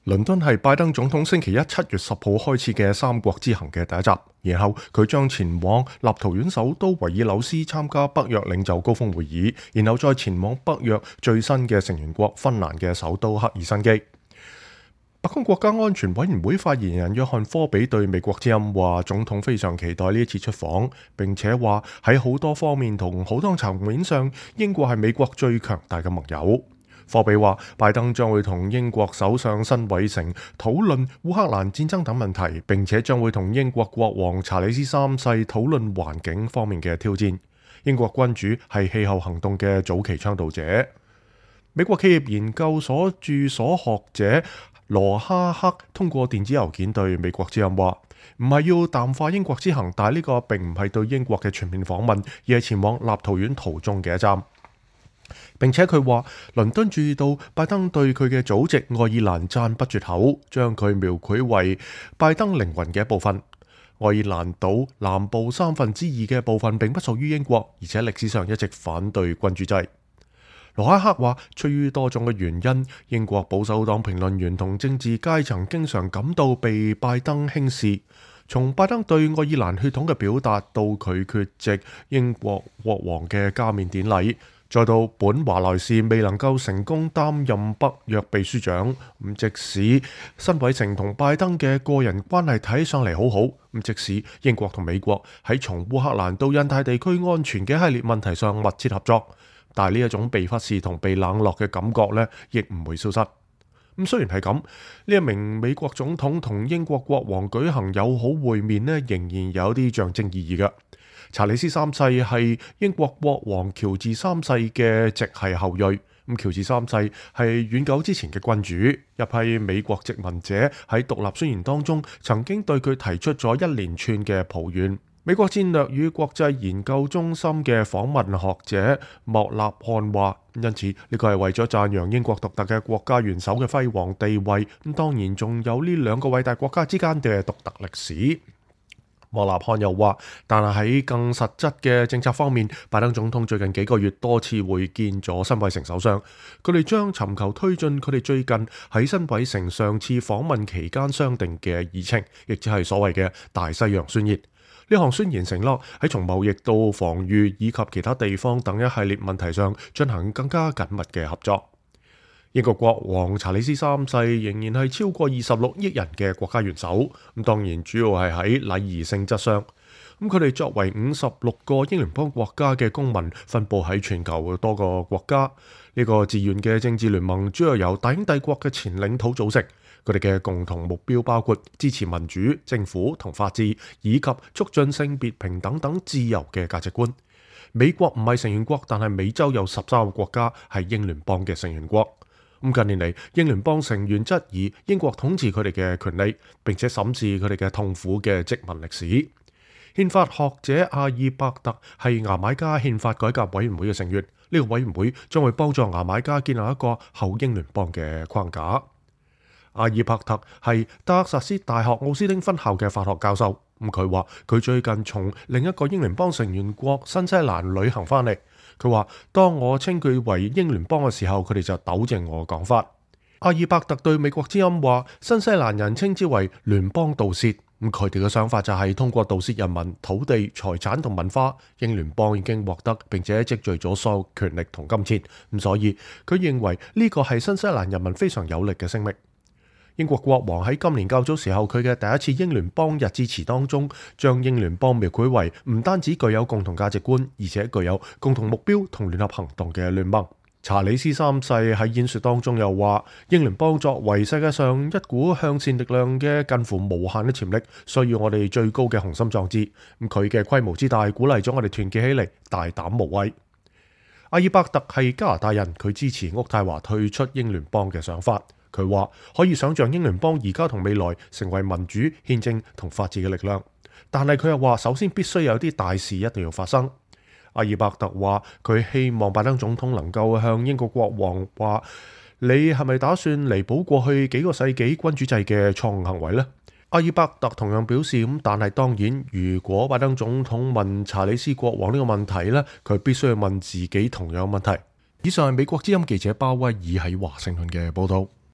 倫敦係拜登總統星期一7月10號開始嘅三國之行嘅第一站，然後佢將前往立陶宛首都維爾紐斯參加北約領袖高峰會議，然後再前往北約最新嘅成員國芬蘭嘅首都赫爾辛基。白宮國家安全委員會發言人約翰科比對美國之音話，總統非常期待呢一次出訪，並且話喺好多方面同好多層面上，英國係美國最強大嘅盟友。科比話，拜登將會同英國首相辛偉誠討論烏克蘭戰爭等問題，並且將會同英國國王查理斯三世討論環境方面嘅挑戰。英國君主係氣候行動嘅早期倡導者。美國企業研究所駐所學者羅哈克通過電子郵件對美國之音話，唔係要淡化英國之行，但係呢個並唔係對英國嘅全面訪問，而係前往立陶宛途中嘅一站。並且佢話，倫敦注意到拜登對佢嘅祖籍愛爾蘭讚不絕口，將佢描繪為拜登靈魂嘅一部分。愛爾蘭島南部2/3嘅部分並不屬於英國，而且歷史上一直反對君主制。羅哈克話，出於多種嘅原因，英國保守黨評論員同政治階層經常感到被拜登輕視。從拜登對愛爾蘭血統嘅表達，到佢缺席英國國王嘅加冕典禮，再到本華萊士未能夠成功擔任北約秘書長，即使辛偉誠同拜登嘅個人關係睇上嚟好好，即使英國同美國喺從烏克蘭到印太地區安全嘅系列問題上密切合作，但係呢一種被忽視同被冷落嘅感覺呢，亦唔會消失。雖然係咁，呢一名美國總統同英國國王舉行友好會面呢，仍然有啲象徵意義嘅。查理斯三世係英國國王喬治三世嘅直系後裔，喬治三世係遠久之前嘅君主，一批美國殖民者喺獨立宣言當中曾經對佢提出咗一連串嘅抱怨。美國戰略與國際研究中心嘅訪問學者莫納漢話，因此呢個係為咗讚揚英國獨特嘅國家元首嘅輝煌地位，當然仲有呢兩個偉大國家之間嘅獨特歷史。莫納漢又話，但係喺更實質嘅政策方面，拜登總統最近幾個月多次會見咗辛偉誠首相，佢哋將尋求推進佢哋最近喺辛偉誠上次訪問期間商定嘅議程，亦即係所謂嘅大西洋宣言。呢項宣言承諾喺從貿易到防禦以及其他地方等一系列問題上進行更加緊密嘅合作。英國國王查理斯三世仍然係超過26億人嘅國家元首，當然主要係喺禮儀性質上。佢哋作為56個英聯邦國家嘅公民，分佈喺全球多個國家。呢個自願嘅政治聯盟主要由大英帝國嘅前領土組成。佢哋嘅共同目標包括支持民主、政府同法治，以及促進性別平等等自由嘅價值觀。美國唔係成員國，但係美洲有13個國家係英聯邦嘅成員國。近年嚟，英聯邦成員質疑英國統治佢哋嘅權利，並且審視佢哋嘅痛苦嘅殖民歷史。憲法學者阿爾伯特係牙買加憲法改革委員會嘅成員，呢個委員會將會幫助牙買加建立一個後英聯邦嘅框架。阿爾伯特係德克薩斯大學奧斯汀分校嘅法學教授，佢話佢最近從另一個英聯邦成員國新西蘭旅行翻嚟。佢話，當我稱佢為英聯邦嘅時候，佢哋就糾正我嘅講法。阿爾伯特對美國之音話，新西蘭人稱之為聯邦盜竊，佢哋嘅想法就係通過盜竊人民、土地、財產同文化，英聯邦已經獲得並且積聚咗所有權力同金錢，所以佢認為呢個係新西蘭人民非常有力嘅聲明。英國國王喺今年較早時候佢嘅第一次英聯邦日致辭當中，將英聯邦描繪為唔單止具有共同價值觀，而且具有共同目標同聯合行動嘅聯盟。查理斯三世喺演說當中又話，英聯邦作為世界上一股向善力量嘅近乎無限嘅潛力，需要我哋最高嘅雄心壯志。佢嘅規模之大，鼓勵咗我哋團結起嚟，大膽無畏。阿爾伯特係加拿大人，佢支持渥太華退出英聯邦嘅想法。佢話可以想象英聯邦而家同未來成為民主、憲政同法治嘅力量，但係佢又話首先必須有啲大事一定要發生。阿爾伯特話佢希望拜登總統能夠向英國國王話，你係咪打算彌補過去幾個世紀君主制嘅錯誤行為呢？阿爾伯特同樣表示但係當然，如果拜登總統問查理斯國王呢個問題呢，佢必須要問自己同樣問題。以上係美國之音記者鮑威爾喺華盛頓嘅報道。